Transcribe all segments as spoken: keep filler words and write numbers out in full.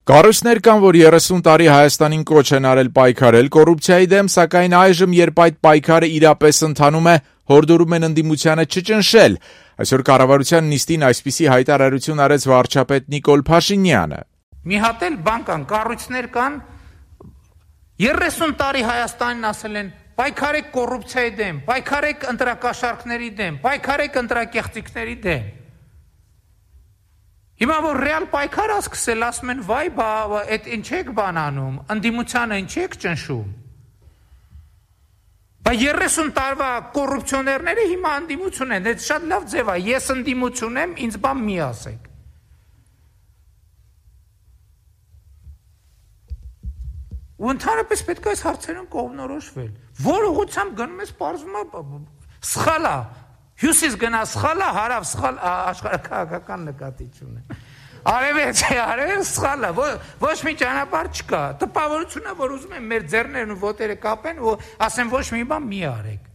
Կառույցներ կան, որ երեսուն տարի Հայաստանին կոչ են արել պայքարել կոռուպցիայի դեմ, սակայն այժմ, երբ այդ պայքարը իրապես ընթանում է, հորդորում են ընդդիմությանը չճնշել։ Այսօր կառավարության նիստին այսպիսի հայտարարություն արեց վարչապետ Նիկոլ Փաշինյանը։ Մի հատ էլ բան կան, կառույցներ կան, երեսուն տարի Հայաստանին ասել են պայքարեք կոռուպցիայի դեմ, պայքարեք ընտրակաշառքների դեմ, պայքարեք ընտրակեղծիքների դեմ։ Հիմա որ ռեալ պայքար ասկսել, ասում են վայ, բա այդ ինչ եք բան անում, ընդդիմությանը ինչ եք ճնշում։ Բա երեսուն տարվա կոռուպցիոներները հիմա ընդդիմություն են, այդ շատ լավ ձև է, ես ընդդիմություն եմ, ինձ բան մի ասեք։ Ու ընդհանրապես պետք է այս հարցերում կողմնորոշվել։ Որ ուղղությամբ գնում ես, պարզվում է սխալ է։ Հյուսիս գնա սխալ է, հարավ սխալ աշխարհաքաղաքական նկատի չունեմ։ Արևելք, արևելք սխալ է, ոչ մի ճանապարհ չկա։ Տպավորություն է, որ ուզում են մեր ձեռներն ու ոտերը կապեն ու ասեն ոչ մի բան մի արեք։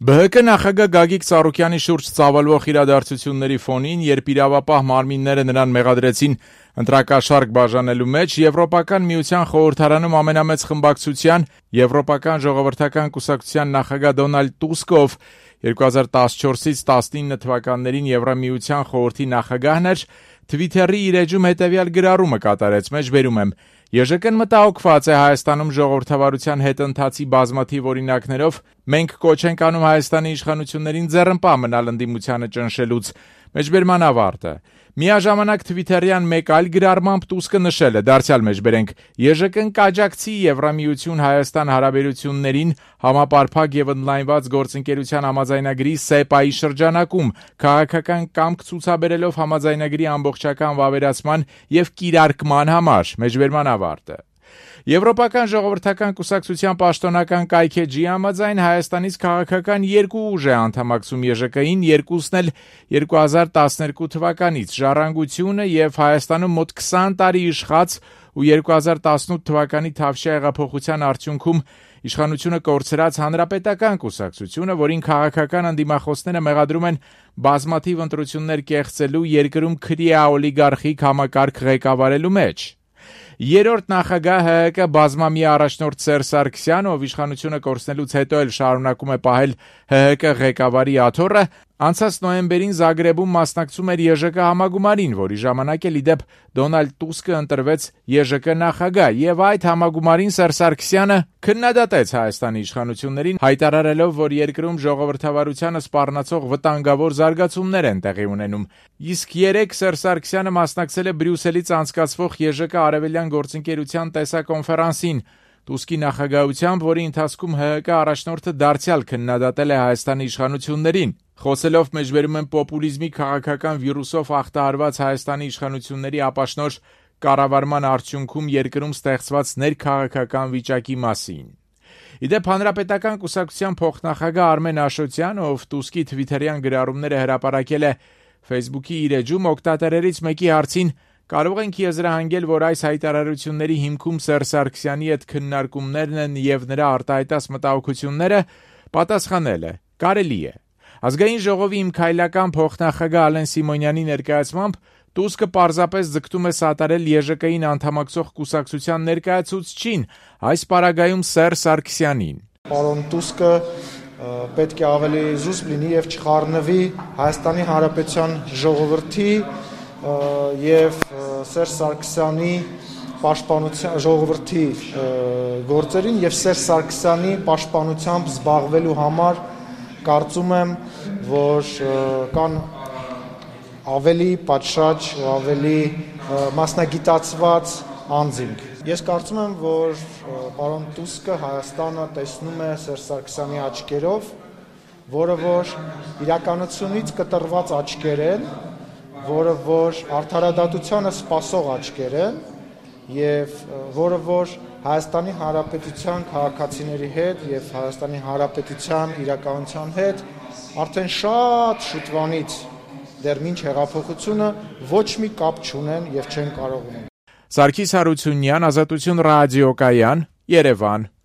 Բը հը կը նախագահ Գագիկ Ծառուկյանի շուրջ ծավալվող իրադարձությունների ֆոնին, երբ իրավապահ մարմինները նրան մեղադրեցին ընտրակաշառք բաժանելու մեջ, Եվրոպական միության խորհրդարանում ամենամեծ խմբակցության Եվրոպական ժողովրդական կուսակցության նախագահ Դոնալդ Տուսկով երկու հազար տասնչորսից տասնինը թվականներին Եվրամիության խորհրդի նախագահն էր, Թվիթերի իր էջում հետևյալ գրառումը կատարեց, մեջբերում եմ. «ԵԺԿ-ն մտահոգված է Հայաստանում ժողովրդավարության հետընթացի բազմաթիվ օրինակներով, մենք կոչ ենք անում Հայաստանի իշխանություններին ձեռնպահ մնալ ընդդիմությանը ճնշելուց», մեջբերման ավարտը։ Միաժամանակ Թվիթերյան մեկ այլ գրառմամբ Տուսկը նշել է, դարձյալ մեջբերենք. «ԵԺԿ-ն կաջակցի Եվրամիություն-Հայաստան հարաբերություններին համապարփակ եւ ընդլայնված գործընկերության համաձայնագրի ՍԵՊԱ-ի շրջանակում, քաղաքական կամք ցուցաբերելով համաձայնագրի ամբողջական վավերացման եւ կիրարկման համար», մեջբերման ավարտը։ Եվրոպական ժողովրդական կուսակցության պաշտոնական կայքէջի համաձայն Հայաստանից քաղաքական երկու ուժ է անդամակցում ԵԺԿ-ին, երկուսն էլ երկու հազար տասներկու թվականից՝ Ժառանգությունը եւ Հայաստանում մոտ քսան տարի իշխած ու երկու հազար տասնութ թվականի Թավշյա հեղափոխության արդյունքում իշխանությունը կորցրած Հանրապետական կուսակցությունը, որին քաղաքական ընդդիմախոսները մեղադրում են բազմաթիվ ընտրություններ կեղծելու, երկրում քրեա օլիգարխիկ համակարգ ղեկավարելու մեջ։ Երրորդ նախագահ ՀՀԿ բազմամյա առաջնորդ Սերժ Սարգսյանը, ով իշխանությունը կորցնելուց հետո էլ շարունակում է պահել ՀՀԿ ղեկավարի աթոռը, անցած նոյեմբերին Զագրեբում մասնակցում էր ԵԺԿ համագումարին, որի ժամանակ էլ իդեպ Դոնալդ Տուսկը ընտրվեց ԵԺԿ նախագահ, եւ այդ համագումարին Սերժ Սարգսյանը քննադատեց Հայաստանի իշխանություններին, հայտարարելով, որ երկրում ժողովրդավարությանը սպառնացող վտանգավոր զարգացումներ են տեղի ունենում։ Իսկ երեկ Սերժ Սարգսյանը մասնակցել է Բրյուսելից անցկացվող ԵԺԿ արևելյան գործընկերության տեսակոնֆերանսին, Տուսկի նախագահությամբ, որի ընթացքում ՀՀԿ առաջնորդը դարձյալ քննադատել է Հայաստանի իշխանություններին։ Խոսելով մեջբերում են պոպուլիզմի քաղաքական վիրուսով ախտահարված Հայաստանի իշխանությունների ապաշնոր կառավարման արդյունքում երկրում ստեղծված ներքաղաքական վիճակի մասին։ Իդեպ Հանրապետական կուսակցության փոխնախագահ Արմեն Աշոտյան, ով Տուսկի թվիթերյան գրառումները հրապարակել է Facebook-ի իր էջում, օգտատերերից մեկի հարցին կարող ենք եզրահանգել, որ այս հայտարարությունների հիմքում Սերժ Սարգսյանի հետ քննարկումներն են եւ նրա արտահայտած մտահոգությունները, պատասխանել է. կարելի է։ Ազգային ժողովի իմ քայլական փոխնախագահ Ալեն Սիմոնյանի ներկայացմամբ Տուսկը պարզապես ձգտում է սատարել ԵԺԿ-ին անդամակցող կուսակցության ներկայացուցչին, այս պարագայում Սերժ Սարգսյանին։ Պարոն Տուսկը պետք է ավելի զուսպ լինի եւ չխառնվի Հայաստանի Հանրապետության ժողովրդի եւ Սերժ Սարգսյանի պաշտպանության ժողովրդի գործերին եւ Սերժ Սարգսյանի պաշտպանությամբ զբաղվելու համար կարծում եմ, որ կան ավելի պատշաճ, ավելի մասնագիտացված անձինք։ Ես կարծում եմ, որ պարոն Տուսկը Հայաստանը տեսնում է Սերժ Սարգսյանի աչքերով, որը որ իրականությունից կտրված աչքեր են, որը որ արդարադատությանը սպասող աչքեր են եւ որը որ Հայաստանի Հանրապետության քաղաքացիների հետ եւ Հայաստանի Հանրապետության իրականության հետ արդեն շատ շուտվանից դեռ մինչ հեղափոխությունը ոչ մի կապ չունեն եւ չեն կարող ունենալ։ Սարգիս Հարությունյան, Ազատություն ռադիոկայան, Երևան։